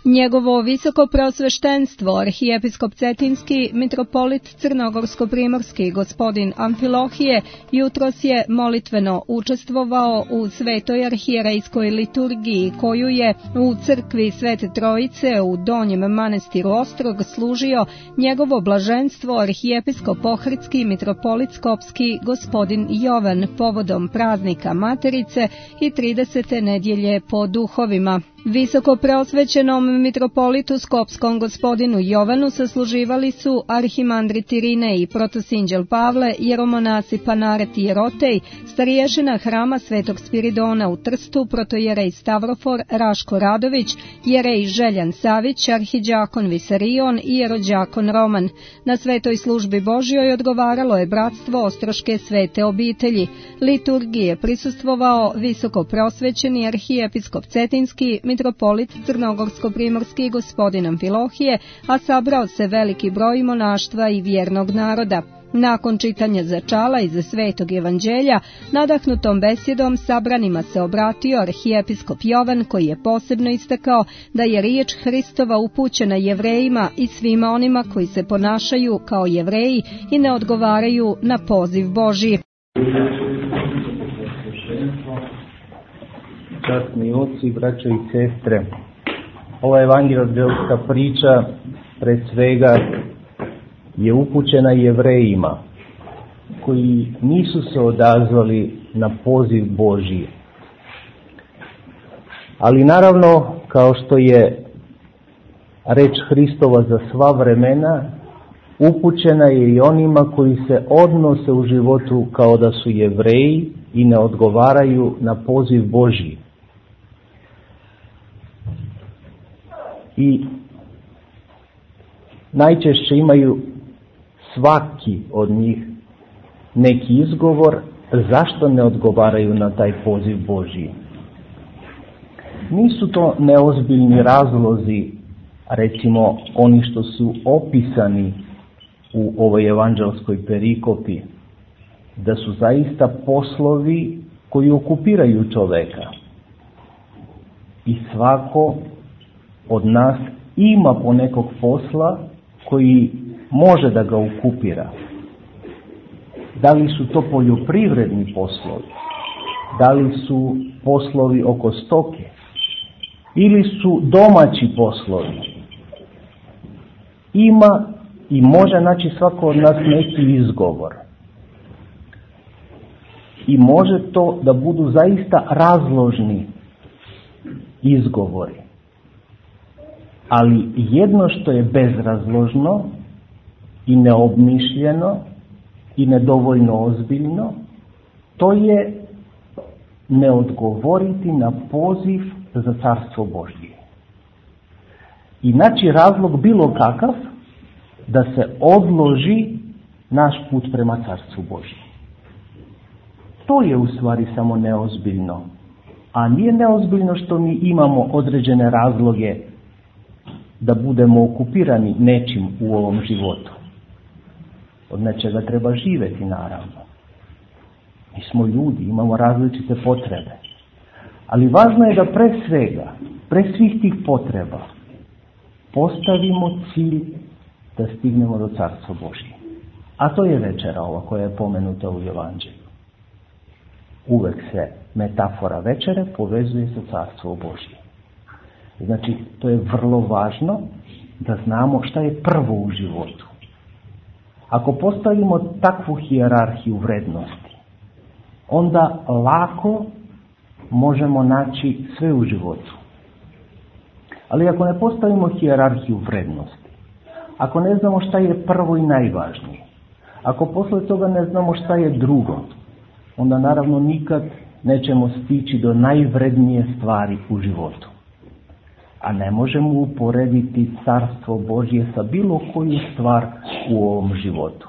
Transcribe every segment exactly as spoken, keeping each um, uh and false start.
Njegovo visoko preosveštenstvo, arhijepiskop Cetinski, mitropolit Crnogorsko-primorski, gospodin Amfilohije, jutros je molitveno učestvovao u svetoj arhijerejskoj liturgiji, koju je u crkvi Svete Trojice u Donjem manastiru Ostrog služio njegovo blaženstvo arhijepiskop Ohridski, mitropolit Skopski, gospodin Jovan, povodom praznika Materice i tridesete nedjelje po duhovima. Visoko preosvećenom mitropolitu Skopskom gospodinu Jovanu sasluživali su arhimandrit Irine i protosinđel Pavle, jeromonasi Panaret i Jerotej, stariješina hrama Svetog Spiridona u Trstu, protojerej Stavrofor Raško Radović, jerej Željan Savić, arhiđakon Visarion i jerođakon Roman. Na svetoj službi Božjoj odgovaralo je bratstvo Ostroške svete obitelji. Liturgije prisustvovao visoko preosvećeni arhijepiskop Cetinski, mitropolit Crnogorsko-primorski gospodin Amfilohije, a sabrao se veliki broj monaštva i vjernog naroda. Nakon čitanja začala iz Svetog evanđelja, nadahnutom besjedom sabranima se obratio arhijepiskop Jovan, koji je posebno istakao da je riječ Hristova upućena Jevrejima i svima onima koji se ponašaju kao Jevreji i ne odgovaraju na poziv Božji. Časni oci, braćo i sestre, ova evanđelska priča pred svega je upućena Jevrejima koji nisu se odazvali na poziv Božji. Ali naravno, kao što je reč Hristova za sva vremena, upućena je i onima koji se odnose u životu kao da su Jevreji i ne odgovaraju na poziv Božji. I najčešće imaju svaki od njih neki izgovor zašto ne odgovaraju na taj poziv Božji. Nisu to neozbiljni razlozi, recimo oni što su opisani u ovoj evanđelskoj perikopi, da su zaista poslovi koji okupiraju čoveka. I svako od nas ima ponekog posla koji može da ga okupira. Da li su to poljoprivredni poslovi, da li su poslovi oko stoke, ili su domaći poslovi. Ima i može naći svako od nas neki izgovor. I može to da budu zaista razložni izgovori. Ali jedno što je bezrazložno i neobmišljeno i nedovoljno ozbiljno, to je ne odgovoriti na poziv za carstvo Božje. I naći razlog bilo kakav da se odloži naš put prema carstvu Božjem. To je u stvari samo neozbiljno. A nije neozbiljno što mi imamo određene razloge da budemo okupirani nečim u ovom životu. Od nečega treba živjeti, naravno. Mi smo ljudi, imamo različite potrebe. Ali važno je da pre svega, pre svih tih potreba, postavimo cilj da stignemo do carstva Božje. A to je večera ova koja je pomenuta u Evanđelju. Uvek se metafora večere povezuje sa carstvom Božje. Znači, to je vrlo važno da znamo šta je prvo u životu. Ako postavimo takvu hijerarhiju vrednosti, onda lako možemo naći sve u životu. Ali ako ne postavimo hijerarhiju vrednosti, ako ne znamo šta je prvo i najvažnije, ako posle toga ne znamo šta je drugo, onda naravno nikad nećemo stići do najvrednije stvari u životu. A ne možemo uporediti carstvo Božje sa bilo koju stvar u ovom životu.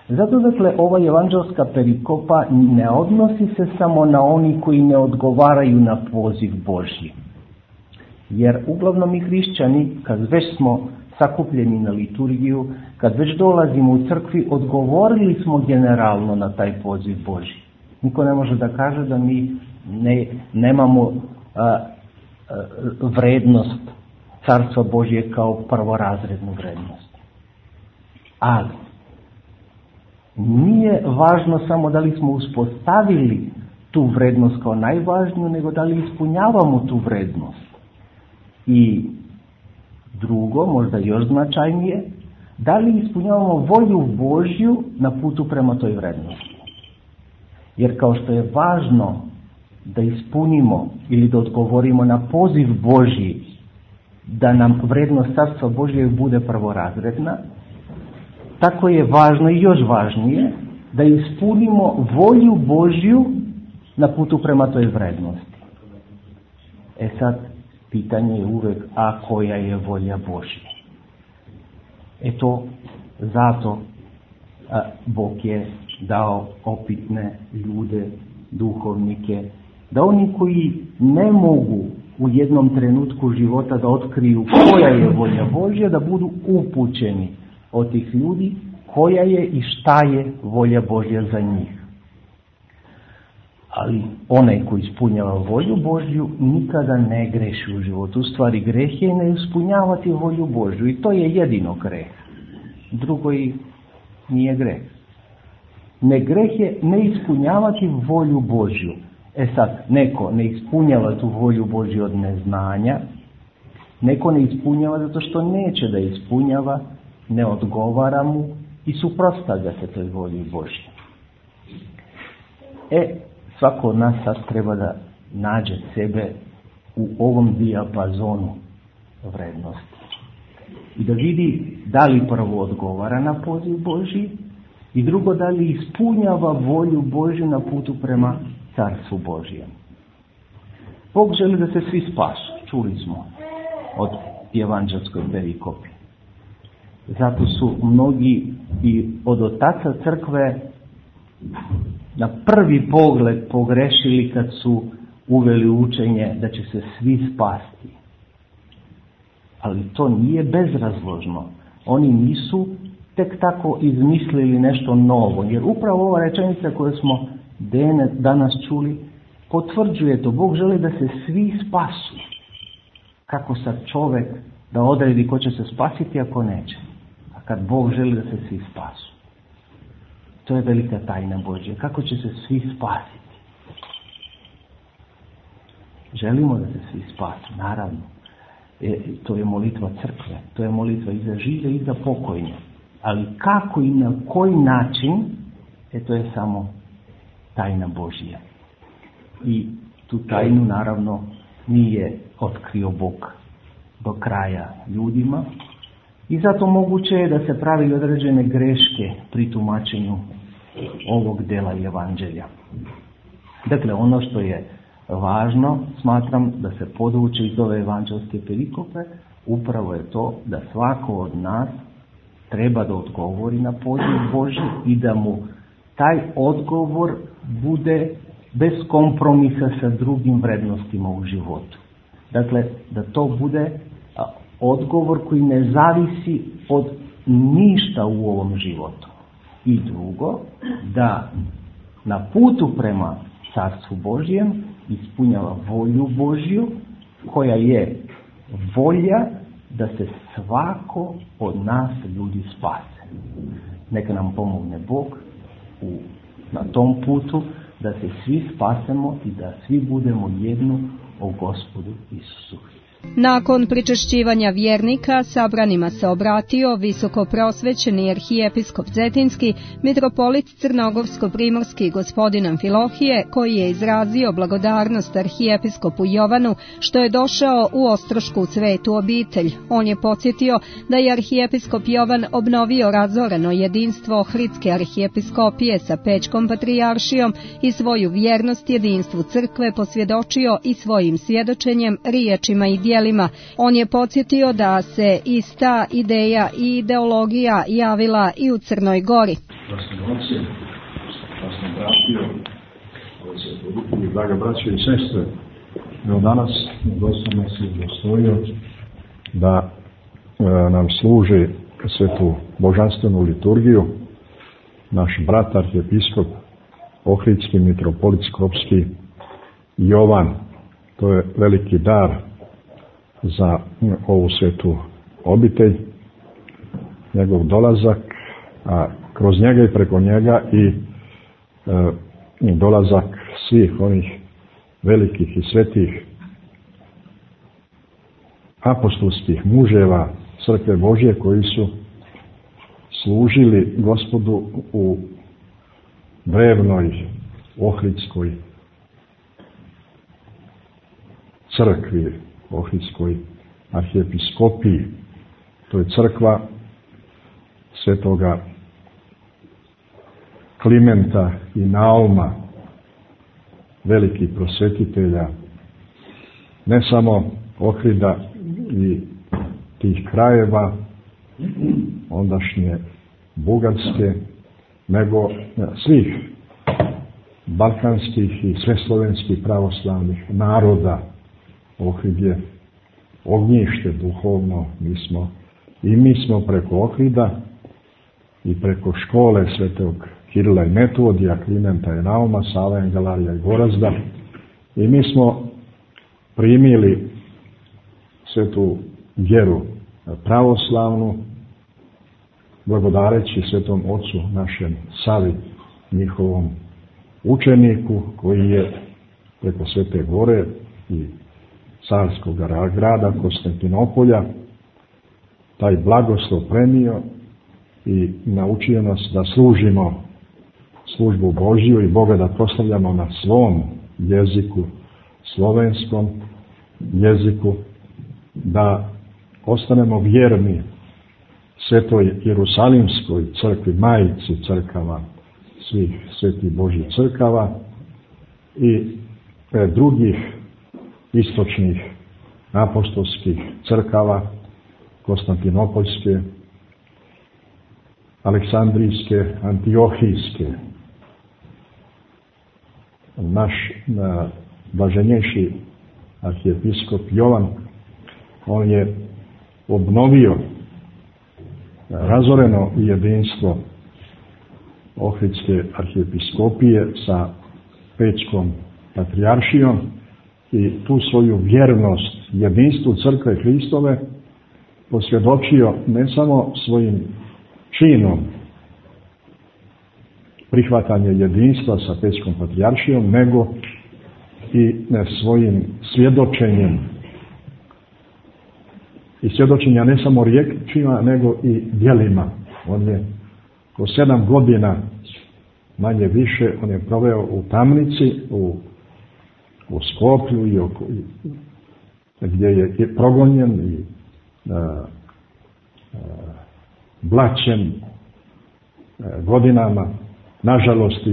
Zato dakle ova evanđelska perikopa ne odnosi se samo na oni koji ne odgovaraju na poziv Božji. Jer uglavnom mi hrišćani, kad već smo sakupljeni na liturgiju, kad već dolazimo u crkvi, odgovorili smo generalno na taj poziv Božji. Niko ne može da kaže da mi ne, nemamo a, a, vrednost Carstva Božje kao prvorazrednu vrednost. Ali nije važno samo da li smo uspostavili tu vrednost kao najvažniju, nego da li ispunjavamo tu vrednost. I drugo, možda još značajnije, da li ispunjavamo volju Božju na putu prema toj vrednosti. Jer kao što je važno da ispunimo ili da odgovorimo na poziv Božji, da nam vrednost Carstva Božje bude prvorazredna, tako je važno i još važnije da ispunimo volju Božju na putu prema toj vrednosti. E sad, pitanje je uvek, a koja je volja Božja? E to, zato a, Bog je dao opitne ljude, duhovnike, da oni koji ne mogu u jednom trenutku života da otkriju koja je volja Božja, da budu upućeni od tih ljudi koja je i šta je volja Božja za njih. Ali onaj koji ispunjava volju Božju nikada ne greši u životu. U stvari greh je ne ispunjavati volju Božju i to je jedino greh. Drugo i nije greh. Ne greh je ne ispunjavati volju Božju. E sad, neko ne ispunjava tu volju Božju od neznanja, neko ne ispunjava zato što neće da ispunjava, ne odgovara mu i suprotstavlja se toj volji Božje. E, svako od nas sad treba da nađe sebe u ovom dijapazonu vrednosti. I da vidi da li prvo odgovara na poziv Božji i drugo da li ispunjava volju Božju na putu prema Carstvu Božjem. Bog želi da se svi spasu, čuli smo od evanđelskoj perikopi. Zato su mnogi i od otaca crkve na prvi pogled pogrešili kad su uveli učenje da će se svi spasti. Ali to nije bezrazložno. Oni nisu tek tako izmislili nešto novo, jer upravo ova rečenica koju smo danas čuli potvrđuje to. Bog želi da se svi spasu. Kako sad čovjek da odredi ko će se spasiti ako neće? A kad Bog želi da se svi spasu. To je velika tajna Božja. Kako će se svi spasiti? Želimo da se svi spasu, naravno. E, to je molitva crkve. To je molitva i za žive i za pokojne. Ali kako i na koji način, e to je samo tajna Božja. I tu tajnu naravno nije otkrio Bog do kraja ljudima. I zato moguće je da se pravi određene greške pri tumačenju ovog dela evanđelja. Dakle, ono što je važno, smatram da se podvuče iz ove evanđelske perikope, upravo je to da svako od nas treba da odgovori na poziv Božji i da mu taj odgovor bude bez kompromisa sa drugim vrednostima u životu. Dakle, da to bude odgovor koji ne zavisi od ništa u ovom životu. I drugo, da na putu prema Carstvu Božjem ispunjava volju Božju, koja je volja da se svako od nas ljudi spase. Neka nam pomogne Bog u, na tom putu da se svi spasemo i da svi budemo jedno o Gospodu Isusu Hristu. Nakon pričešćivanja vjernika, sabranima se obratio visokoprosvećeni arhijepiskop Cetinski, mitropolit Crnogorsko-primorski gospodin Amfilohije, koji je izrazio blagodarnost arhijepiskopu Jovanu što je došao u Ostrošku svetu obitelj. On je podsjetio da je arhijepiskop Jovan obnovio razoreno jedinstvo Ohridske arhijepiskopije sa Pećkom patrijaršijom i svoju vjernost jedinstvu crkve posvjedočio i svojim svjedočenjem, riječima i djelima. On je podsjetio da se ista ideja i ideologija javila i u Crnoj Gori. Draga braće i sestre, evo danas Gospod nas je udostojio da e, nam služi svetu božanstvenu liturgiju naš brat arhijepiskop Ohridski mitropolit Skopski Jovan. To je veliki dar za ovu svetu obitelj, njegov dolazak, a kroz njega i preko njega i e, dolazak svih onih velikih i svetih apostolskih muževa crkve Božje koji su služili Gospodu u drevnoj Ohridskoj crkvi, Ohridskoj arhijepiskopiji. To je crkva svetoga Klimenta i Nauma, velikih prosvetitelja, ne samo Ohrida i tih krajeva ondašnje Bugarske, nego svih balkanskih i sveslovenskih pravoslavnih naroda. Ohrid je ognjište duhovno, mi smo, i mi smo preko Ohrida i preko škole svetog Kirila i Metodija, Klimenta i Nauma, Sava Engelarija i Gorazda, i mi smo primili svetu vjeru pravoslavnu, blagodareći svetom ocu našem Savi, njihovom učeniku, koji je preko Svete Gore i carskog grada Konstantinopolja taj blagoslov prenio i naučio nas da služimo službu Božju i Boga da proslavljamo na svom jeziku, slovenskom jeziku, da ostanemo vjerni svetoj Jerusalimskoj crkvi, majici crkava, svih svetih Božjih crkava i e, drugih istočnih apostolskih crkava, Konstantinopoljske, Aleksandrijske, Antiohijske. Naš na, blaženjejši arhijepiskop Jovan, on je obnovio razoreno jedinstvo Ohridske arhijepiskopije sa Pećkom patrijaršijom i tu svoju vjernost jedinstvu crkve Hristove posvjedočio ne samo svojim činom prihvatanje jedinstva sa Pećkom patrijaršijom, nego i svojim svjedočenjem. I svjedočenja ne samo riječima, nego i djelima. On je ko sedam godina, manje više, on je proveo u tamnici, u, u Skoplju, i oko, i, gdje je, je progonjen i a, a, blaćen a, godinama, nažalost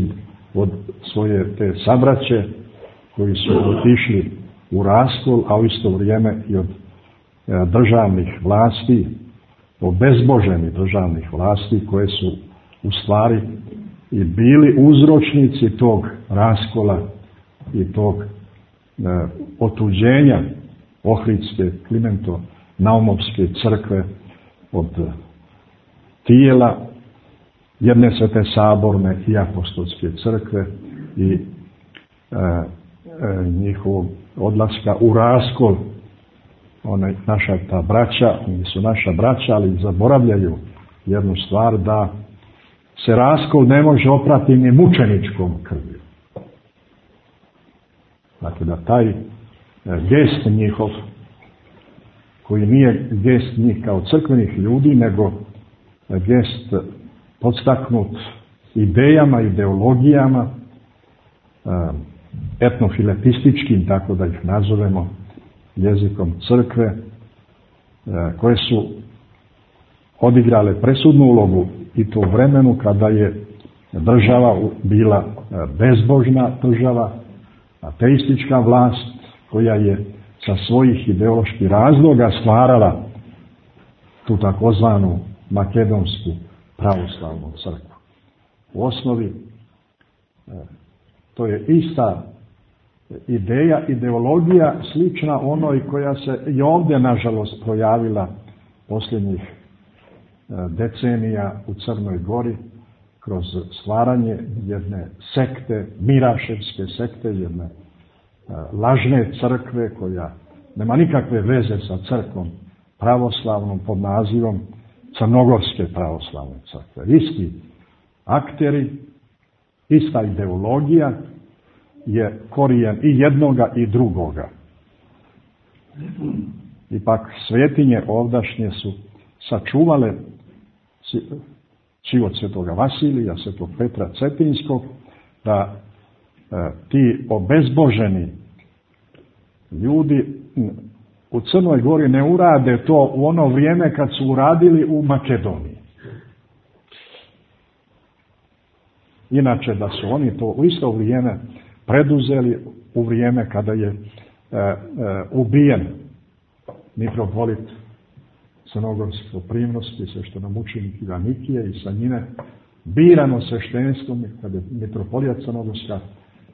od svoje te sabraće koji su otišli u raskol, a u isto vrijeme i od a, državnih vlasti, obezboženih državnih vlasti koje su u stvari i bili uzročnici tog raskola i tog e, otuđenja Ohridske, Klimento-Naumovske crkve od tijela jedne svete saborne i apostolske crkve i e, e, njihovog odlaska u raskol. One, naša ta braća, oni su naša braća, ali zaboravljaju jednu stvar, da se raskol ne može oprati ni mučeničkom krvlju. Dakle, da taj gest njihov, koji nije gest njih kao crkvenih ljudi, nego gest podstaknut idejama, ideologijama, etnofiletističkim, tako da ih nazovemo, jezikom crkve, koje su odigrale presudnu ulogu i to u vremenu kada je država bila bezbožna država, ateistička vlast koja je sa svojih ideoloških razloga stvarala tu takozvanu makedonsku pravoslavnu crkvu. U osnovi to je ista ideja, ideologija slična onoj koja se i ovdje nažalost projavila posljednjih decenija u Crnoj Gori kroz stvaranje jedne sekte, Miraševske sekte, jedne lažne crkve koja nema nikakve veze sa crkvom pravoslavnom pod nazivom Crnogorske pravoslavne crkve. Isti akteri, ista ideologija je korijen i jednoga i drugoga. Ipak svetinje ovdašnje su sačuvale život svetoga Vasilija, svetog Petra Cetinskog, da e, ti obezboženi ljudi u Crnoj Gori ne urade to u ono vrijeme kad su uradili u Makedoniji. Inače da su oni to u isto vrijeme preduzeli u vrijeme kada je e, e, ubijen mitropolit Crnogorsko-Primorski, sveštenomučenik Ivan Nikije i sa njime birano sveštenstvo, kada je mitropolija Crnogorska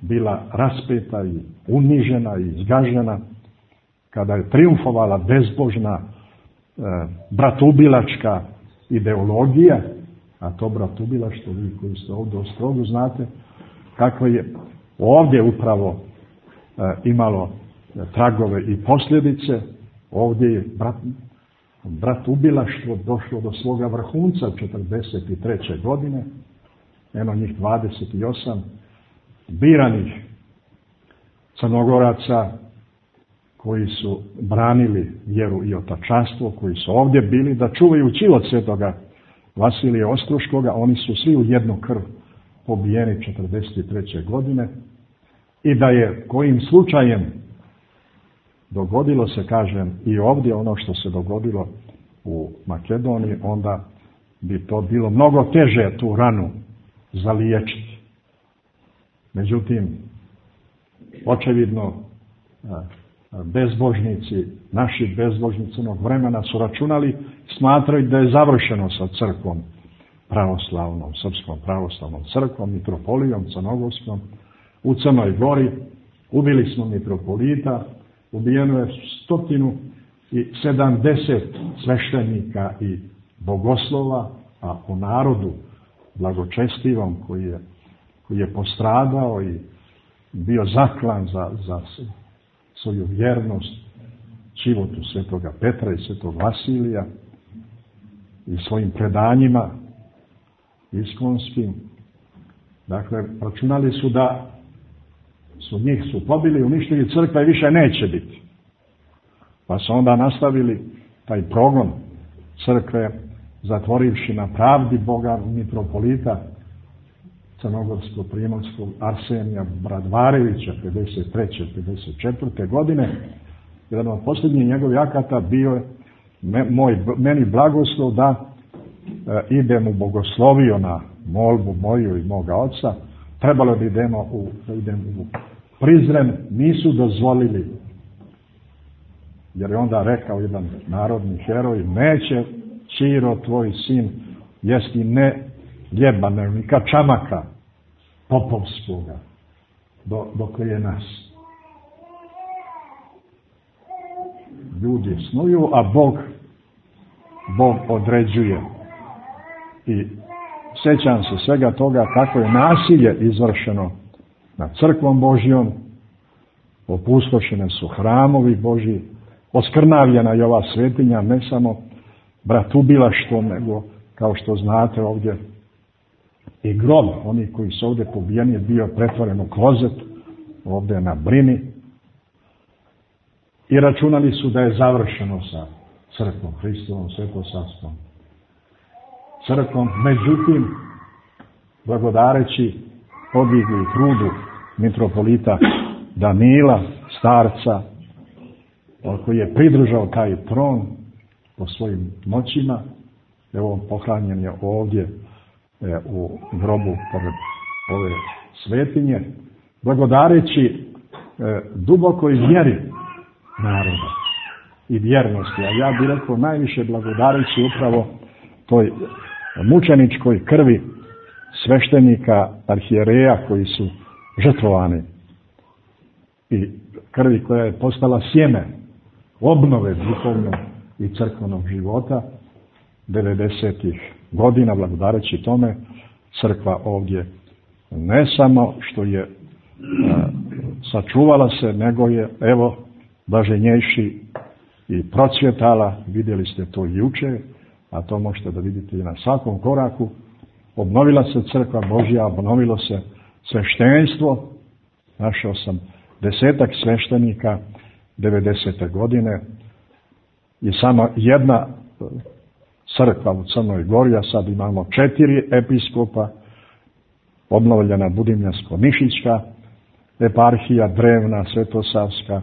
bila raspeta i unižena i zgažena, kada je triumfovala bezbožna e, bratubilačka ideologija, a to bratubilaštvo, vi koji ste ovdje u Ostrogu znate, kako je ovdje upravo e, imalo tragove i posljedice. Ovdje je brat, bratubilaštvo došlo do svoga vrhunca četrdeset treće godine, eno njih dvadeset osam biranih Crnogoraca koji su branili vjeru i otačanstvo, koji su ovdje bili da čuvaju život svetoga Vasilija Ostroškoga. Oni su svi u jednu krv pobijeni četrdeset treće godine i da je kojim slučajem dogodilo se, kažem, i ovdje ono što se dogodilo u Makedoniji, onda bi to bilo mnogo teže tu ranu zaliječiti. Međutim, očevidno bezbožnici, naši bezbožnici onog vremena su računali, smatraju da je završeno sa crkvom pravoslavnom, srpskom pravoslavnom crkvom, mitropolijom crnogorskom u Crnoj Gori. Ubili smo mitropolita, ubijeno je stotinu i sedamdeset sveštenika i bogoslova, a po narodu blagočestivom koji je, koji je postradao i bio zaklan za, za svoju vjernost životu svetoga Petra i svetog Vasilija i svojim predanjima iskonskim. Dakle, računali su da su njih su pobili, uništili, crkva i više neće biti. Pa su onda nastavili taj progon crkve, zatvorivši na pravdi Boga mitropolita Crnogorsko-Primorskog Arsenija Bradvarevića pedeset treće pedeset četvrte godine. Jedan od posljednjih njegovih akata bio je moj, meni blagoslov da e, idem u bogosloviju na molbu moju i moga oca. Trebalo bi idemo u, da idem u Prizren, nisu dozvolili, jer je onda rekao jedan narodni heroj, neće Čiro tvoj sin jesti ne ljeba, ne kačamaka popovskoga, do, dok je nas. Ljudi snuju, a Bog, Bog određuje. I sjećam se svega toga kako je nasilje izvršeno nad crkvom Božjom, opustošene su hramovi Božji, oskrnavljena je ova svetinja, ne samo bratubilaštvom, nego, kao što znate ovdje, i grob, oni koji su ovdje pobijeni, je bio pretvoren u klozet, ovdje na Brini, i računali su da je završeno sa crkvom, Hristovom svetosavstvom crkvom. Međutim, blagodareći podvigli trudu mitropolita Danila, starca, koji je pridržao taj tron po svojim moćima, evo pohranjen je ovdje e, u grobu pored ove svetinje, blagodareći e, dubokoj vjeri naroda i vjernosti, a ja bih rekao najviše blagodareći upravo toj mučeničkoj krvi sveštenika, arhijereja koji su žrtvovani i krvi koja je postala sjeme obnove duhovnog i crkvenog života devedesetih godina. Blagodareći tome, crkva ovdje ne samo što je a, sačuvala se, nego je, evo, blaženjejši i procvjetala, vidjeli ste to juče, a to možete da vidite i na svakom koraku. Obnovila se crkva Božja, obnovilo se sveštenstvo. Našao sam desetak sveštenika devedesete godine i samo jedna crkva u Crnoj Gori, a sad imamo četiri episkopa, obnovljena Budimljansko-Nišićka eparhija, drevna, Svetosavska,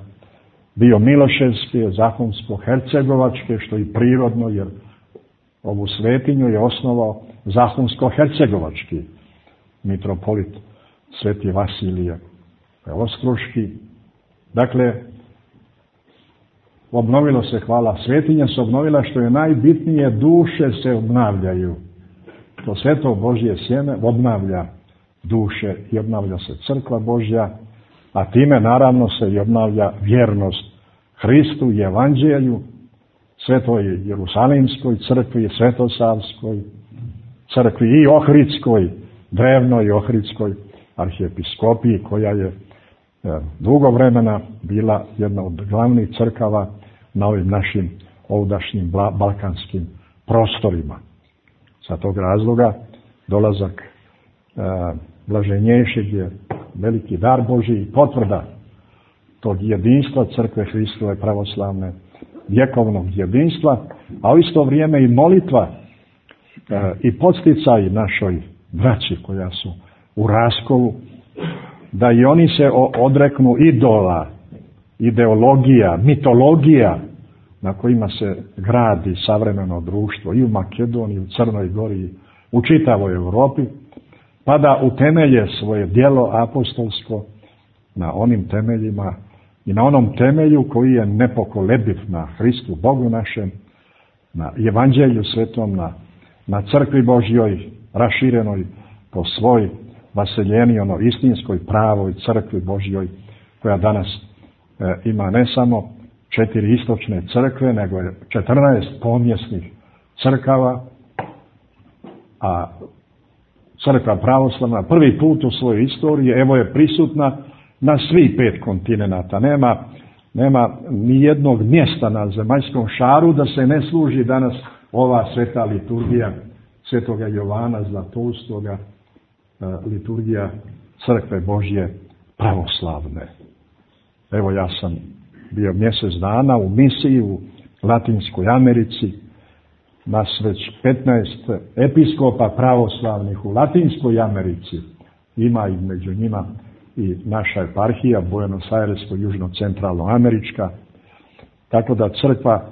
bio Miloševske, Zahumsko-Hercegovačke, što i prirodno, jer ovu svetinju je osnovao Zahumsko-Hercegovački mitropolit Sveti Vasilije Oskruški. Dakle, obnovilo se, hvala, svetinja se obnovila, što je najbitnije, duše se obnavljaju. To sveto Božje sjeme obnavlja duše i obnavlja se crkva Božja, a time naravno se i obnavlja vjernost Hristu i Evanđelju, Svetoj Jerusalimskoj crkvi, Svetosavskoj crkvi i Ohridskoj, drevnoj Ohridskoj arhijepiskopiji, koja je dugo vremena bila jedna od glavnih crkava na ovim našim ovdašnjim balkanskim prostorima. Sa tog razloga dolazak e, blaženjejšeg je veliki dar Božji i potvrda tog jedinstva crkve Hristove pravoslavne, vjekovnog jedinstva, a u isto vrijeme i molitva e, i podsticaj našoj braći koja su u raskolu, da i oni se odreknu idola, ideologija, mitologija na kojima se gradi savremeno društvo i u Makedoniji, u Crnoj Gori, u čitavoj Europi, pa da utemelje svoje djelo apostolsko na onim temeljima i na onom temelju koji je nepokolebiv, na Hristu Bogu našem, na Evanđelju svetom, na, na crkvi Božjoj, raširenoj po svoj vaseljeni, ono istinskoj, pravoj crkvi Božjoj, koja danas e, ima ne samo četiri istočne crkve, nego je četrnaest pomjesnih crkava, a crkva pravoslavna prvi put u svojoj istoriji, evo, je prisutna na svih pet kontinenata. Nema, nema ni jednog mjesta na zemaljskom šaru da se ne služi danas ova sveta liturgija Svetoga Jovana Zlatoustoga, liturgija crkve Božje pravoslavne. Evo, ja sam bio mjesec dana u misiji u Latinskoj Americi, nas već petnaest episkopa pravoslavnih u Latinskoj Americi, ima i među njima i naša eparhija Buenos Airesko, južno-centralno američka, tako da crkva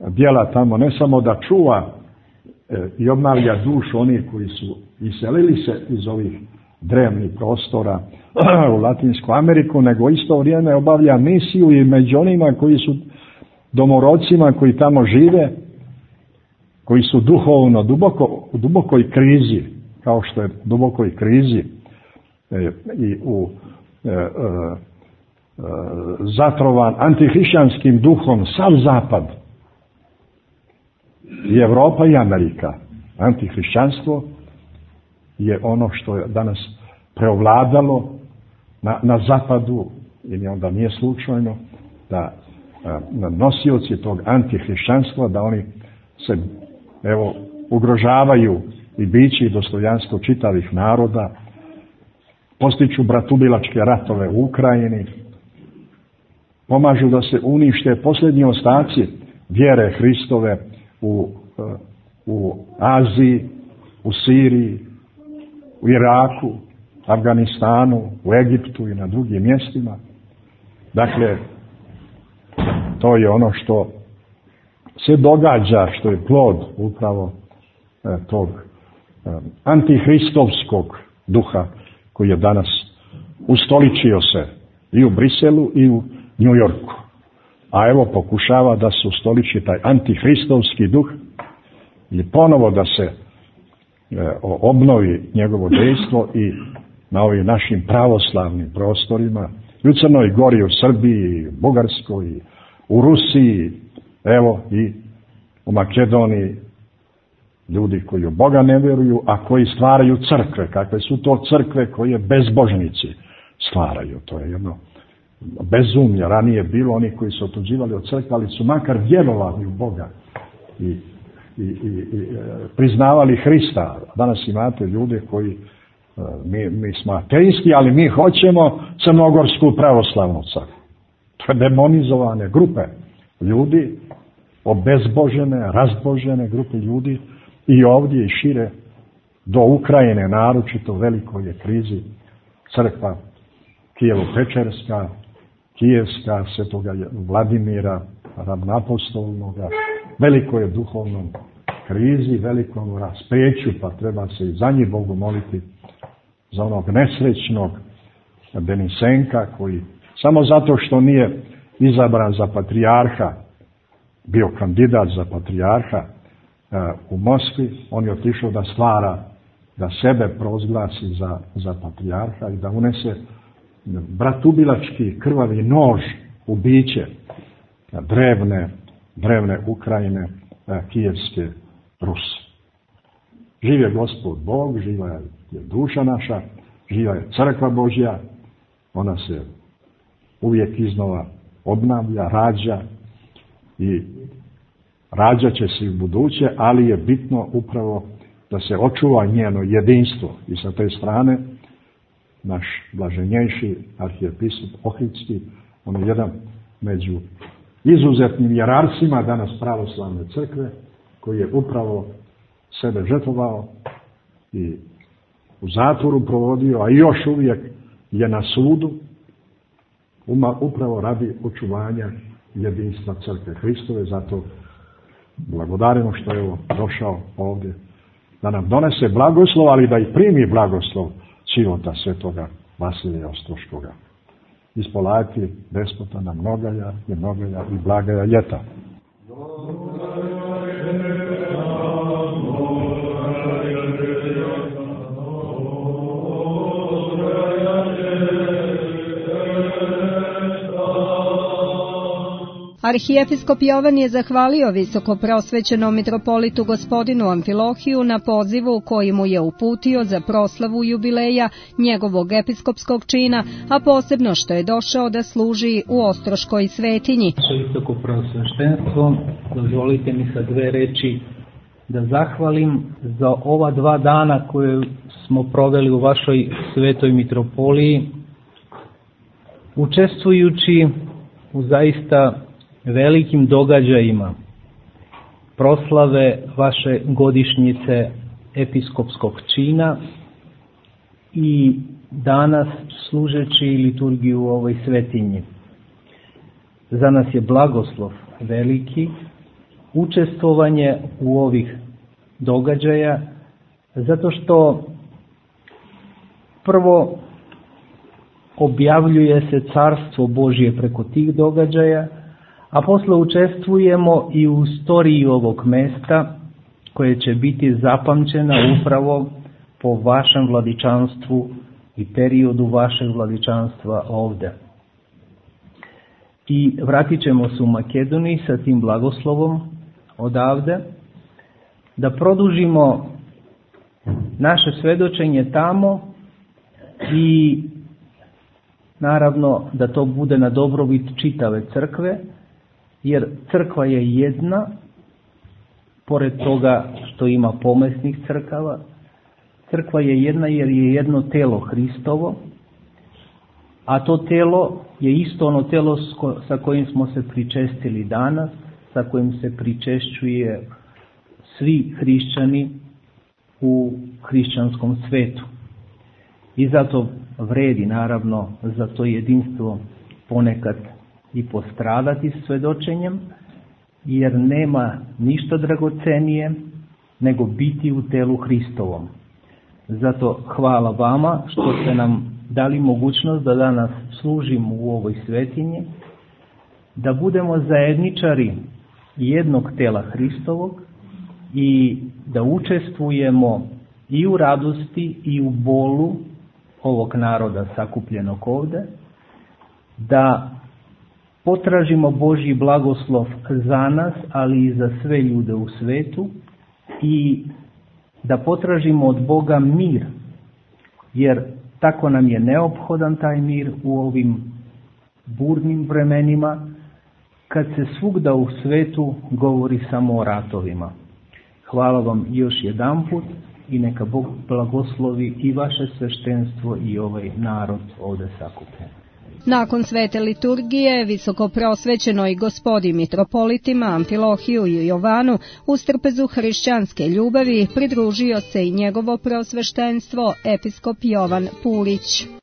djela tamo ne samo da čuva e, i obnavlja dušu onih koji su iselili se iz ovih drevnih prostora u Latinsku Ameriku, nego isto vrijeme obavlja misiju i među onima koji su domorodcima koji tamo žive, koji su duhovno duboko, u dubokoj krizi, kao što je dubokoj krizi e, i u e, e, zatrovan antihrišćanskim duhom sav zapad, i Evropa i Amerika. Antihrišćanstvo je ono što je danas preovladalo na, na zapadu, i onda nije slučajno da a, nosioci tog antihrišćanstva, da oni se, evo, ugrožavaju i biće i dostojanstvo čitavih naroda, postiču bratubilačke ratove u Ukrajini, pomažu da se unište posljednji ostaci vjere Hristove u, u Aziji, u Siriji, u Iraku, Afganistanu, u Egiptu i na drugim mjestima. Dakle, to je ono što se događa, što je plod upravo e, tog e, antihristovskog duha koji je danas ustoličio se i u Briselu i u New Yorku. A evo pokušava da se ustoliči taj antihristovski duh i ponovo da se e, obnovi njegovo dejstvo i na ovim našim pravoslavnim prostorima, i u Crnoj Gori, u Srbiji, u Bugarskoj, u Rusiji, evo i u Makedoniji, ljudi koji u Boga ne vjeruju, a koji stvaraju crkve. Kakve su to crkve koje bezbožnici stvaraju? To je jedno bezumlja. Ranije bilo oni koji su otuđivali od crkve, ali su makar vjerovali u Boga i, i, i, i priznavali Hrista. Danas imate ljude koji, mi, mi smo ateisti, ali mi hoćemo crnogorsku pravoslavnu crkvu. To je demonizovane grupe ljudi, obezbožene, razbožene grupe ljudi i ovdje i šire do Ukrajine, naročito u velikoj je krizi crkva Kijevo-Pečerska, Kijevska, Svetoga Vladimira, Ravnapostolnoga, veliko je duhovnom krizi, velikom raspeću, pa treba se i za njih Bogu moliti, za onog nesrećnog Denisenka, koji samo zato što nije izabran za patrijarha, bio kandidat za patrijarha u Moskvi, on je otišao da stvara, da sebe prozglasi za, za patrijarha i da unese bratubilački krvavi nož u biće drevne, drevne Ukrajine, kijevske Ruse. Živ je Gospod Bog, živa je duša naša, živa je crkva Božja, ona se uvijek iznova obnavlja, rađa i rađat će se i u buduće, ali je bitno upravo da se očuva njeno jedinstvo. I sa te strane naš blaženjejši arhijepiskop Ohridski, on je jedan među izuzetnim jerarsima danas pravoslavne crkve, koji je upravo sebe žrtvovao i u zatvoru provodio, a još uvijek je na sudu, upravo radi očuvanja jedinstva crkve Hristove. Zato blagodarimo što je ovo došao ovdje da nam donese blagoslov, ali da i primi blagoslov života svetoga Vasilija Ostroškoga. Ispolati despota na mnogaja i mnogaja i blagaja ljeta. Arhijepiskop Jovan je zahvalio visoko prosvećenom mitropolitu gospodinu Amfilohiju na pozivu koji mu je uputio za proslavu jubileja njegovog episkopskog čina, a posebno što je došao da služi u Ostroškoj svetinji. Visoko prosveštenstvo, dozvolite mi sa dve reči da zahvalim za ova dva dana koje smo proveli u vašoj svetoj mitropoliji, učestvujući u zaista velikim događajima proslave vaše godišnjice episkopskog čina i danas služeći liturgiju u ovoj svetinji. Za nas je blagoslov veliki učestvovanje u ovih događaja, zato što prvo objavljuje se carstvo Božje preko tih događaja, a posle učestvujemo i u istoriji ovog mesta koje će biti zapamćena upravo po vašem vladičanstvu i periodu vašeg vladičanstva ovde. I vratit ćemo se u Makedoniji sa tim blagoslovom odavde, da produžimo naše svedočenje tamo i naravno da to bude na dobrobit čitave crkve, jer crkva je jedna, pored toga što ima pomesnih crkava, crkva je jedna jer je jedno telo Hristovo, a to telo je isto ono telo sa kojim smo se pričestili danas, sa kojim se pričešćuje svi hrišćani u hrišćanskom svetu. I zato vredi naravno za to jedinstvo ponekad i postradati svedočenjem, jer nema ništa dragocenije nego biti u telu Hristovom. Zato hvala vama što ste nam dali mogućnost da danas služimo u ovoj svetinji, da budemo zajedničari jednog tela Hristovog i da učestvujemo i u radosti i u bolu ovog naroda sakupljenog ovde, da potražimo Božji blagoslov za nas, ali i za sve ljude u svetu, i da potražimo od Boga mir, jer tako nam je neophodan taj mir u ovim burnim vremenima, kad se svugda u svetu govori samo o ratovima. Hvala vam još jedanput i neka Bog blagoslovi i vaše sveštenstvo i ovaj narod ovde sakupljen. Nakon svete liturgije, visokoprosvećenoj gospodi mitropolitima Amfilohiju i Jovanu u strpezu hrišćanske ljubavi pridružio se i njegovo prosveštenstvo episkop Jovan Pulić.